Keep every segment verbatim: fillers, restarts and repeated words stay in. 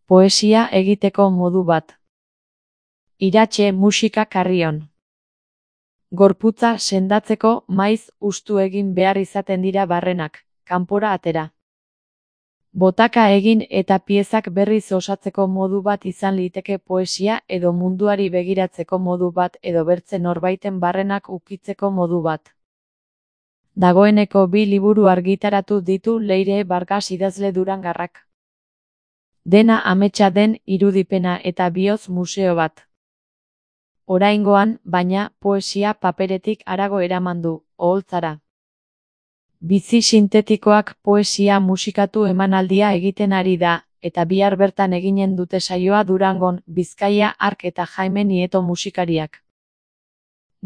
Poesia egiteko modu bat. Iratxe musika karrion. Gorputza sendatzeko maiz hustu egin behar izaten dira barrenak, kanpora atera. Botaka egin eta piezak berriz osatzeko modu bat izan liteke poesia edo munduari begiratzeko modu bat edo bertze norbaiten barrenak ukitzeko modu bat. Dagoeneko bi liburu argitaratu ditu Leire Vargas idazle durangarrak. Dena ametsa den irudipena eta bihotz museo bat. Oraingoan, baina, poesia paperetik harago eraman du, oholtzara. Bizi sintetikoak poesia musikatu emanaldia egiten ari da, eta bihar bertan eginen dute saioa Durangon, Bizkaia Ark eta Jaime Nieto musikariak.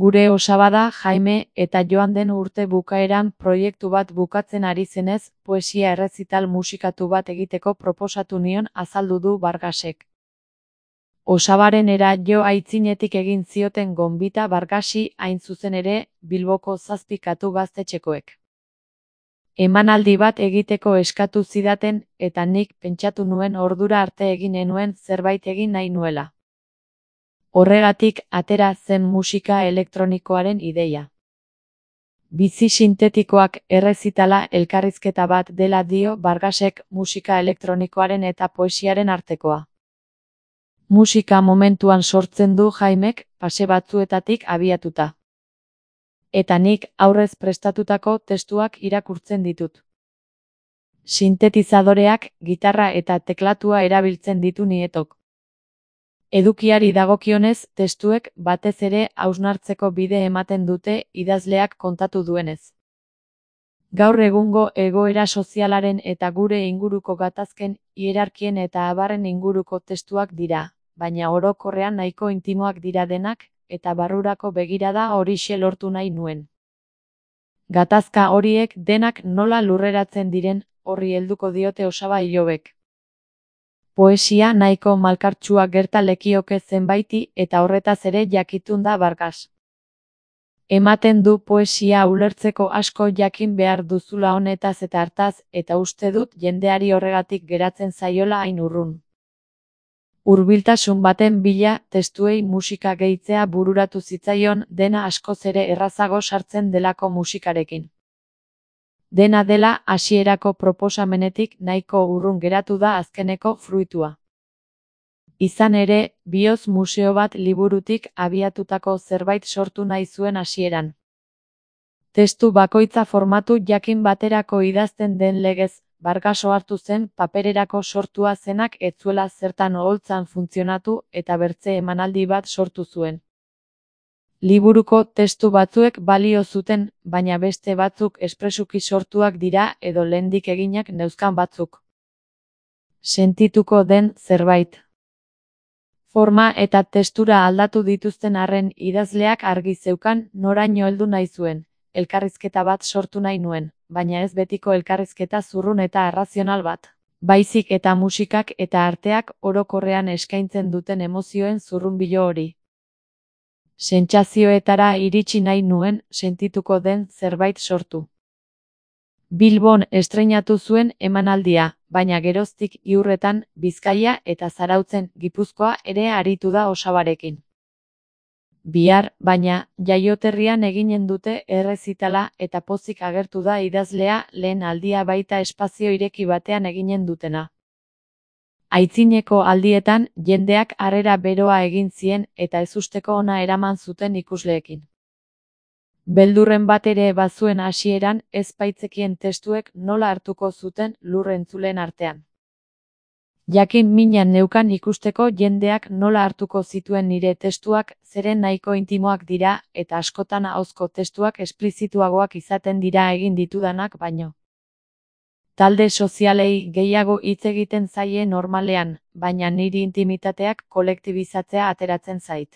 Gure osaba da Jaime eta joan den urte bukaeran proiektu bat bukatzen ari zenez, poesia errezital musikatu bat egiteko proposatu nion azaldu du Vargasek. Osabarenera jo aitzinetik egin zioten gonbita Vargasi hain zuzen ere Bilboko zazpi katu gaztetxekoek. Emanaldi bat egiteko eskatu zidaten eta nik pentsatu nuen ordura arte egin enuen zerbait egin nahi nuela. Horregatik atera zen musika elektronikoaren ideia. Bizi sintetikoak errezitala elkarrizketa bat dela dio Vargasek musika elektronikoaren eta poesiaren artekoa. Musika momentuan sortzen du Jaimek, pase batzuetatik abiatuta. Eta nik aurrez prestatutako testuak irakurtzen ditut. Sintetizadoreak, gitarra eta teklatua erabiltzen ditu Nietok. Edukiari dagokionez, testuek batez ere hausnartzeko bide ematen dute idazleak kontatu duenez. Gaur egungo egoera sozialaren eta gure inguruko gatazken, hierarkien eta abarren inguruko testuak dira, baina orokorrean nahiko intimoak dira denak, eta barrurako begirada horixe lortu nahi nuen. Gatazka horiek denak nola lurreratzen diren, horri helduko diote osaba ilobek. Poesia nahiko malkartsua gerta lekioke zenbaiti eta horretaz ere jakitun da Vargas. Ematen du poesia ulertzeko asko jakin behar duzula honetaz eta hartaz eta uste dut jendeari horregatik geratzen zaiola hain urrun. Hurbiltasun baten bila testuei musika gehitzea bururatu zitzaion dena askoz ere errazago sartzen delako musikarekin. Dena dela hasierako proposamenetik nahiko urrun geratu da azkeneko fruitua. Izan ere, bihotz museo bat liburutik abiatutako zerbait sortu nahi zuen hasieran. Testu bakoitza formatu jakin baterako idazten den legez, Vargas ohartu zen papererako sortua zenak ez zuela zertan oholtzan funtzionatu eta bertze emanaldi bat sortu zuen. Liburuko testu batzuek balio zuten, baina beste batzuk espresuki sortuak dira edo lehendik eginak neuzkan batzuk. Sentituko den zerbait. Forma eta testura aldatu dituzten arren idazleak argi zeukan noraino heldu nahi zuen, elkarrizketa bat sortu nahi nuen, baina ez betiko elkarrizketa zurrun eta arrazional bat. Baizik eta musikak eta arteak orokorrean eskaintzen duten emozioen zurrunbilo hori. Sentsazioetara iritsi nahi nuen sentituko den zerbait sortu. Bilbon estreinatu zuen emanaldia, baina geroztik Iurretan, Bizkaia eta Zarautzen, Gipuzkoa ere aritu da osabarekin. Bihar, baina, Jaioterrian eginen dute errezitala eta pozik agertu da idazlea lehen aldia baita espazio ireki batean eginen dutena. Aitzineko aldietan, jendeak harrera beroa egin zien eta ezusteko ona eraman zuten ikusleekin. Beldurren bat ere bazuen hasieran ez baitzekien testuek nola hartuko zuten lur entzuleen artean. Jakin minan neukan ikusteko jendeak nola hartuko zituen nire testuak zeren nahiko intimoak dira eta askotan ahozko testuak esplizituagoak izaten dira egin ditudanak baino. Talde sozialei gehiago hitz egiten zaie normalean, baina niri intimitateak kolektibizatzea ateratzen zait.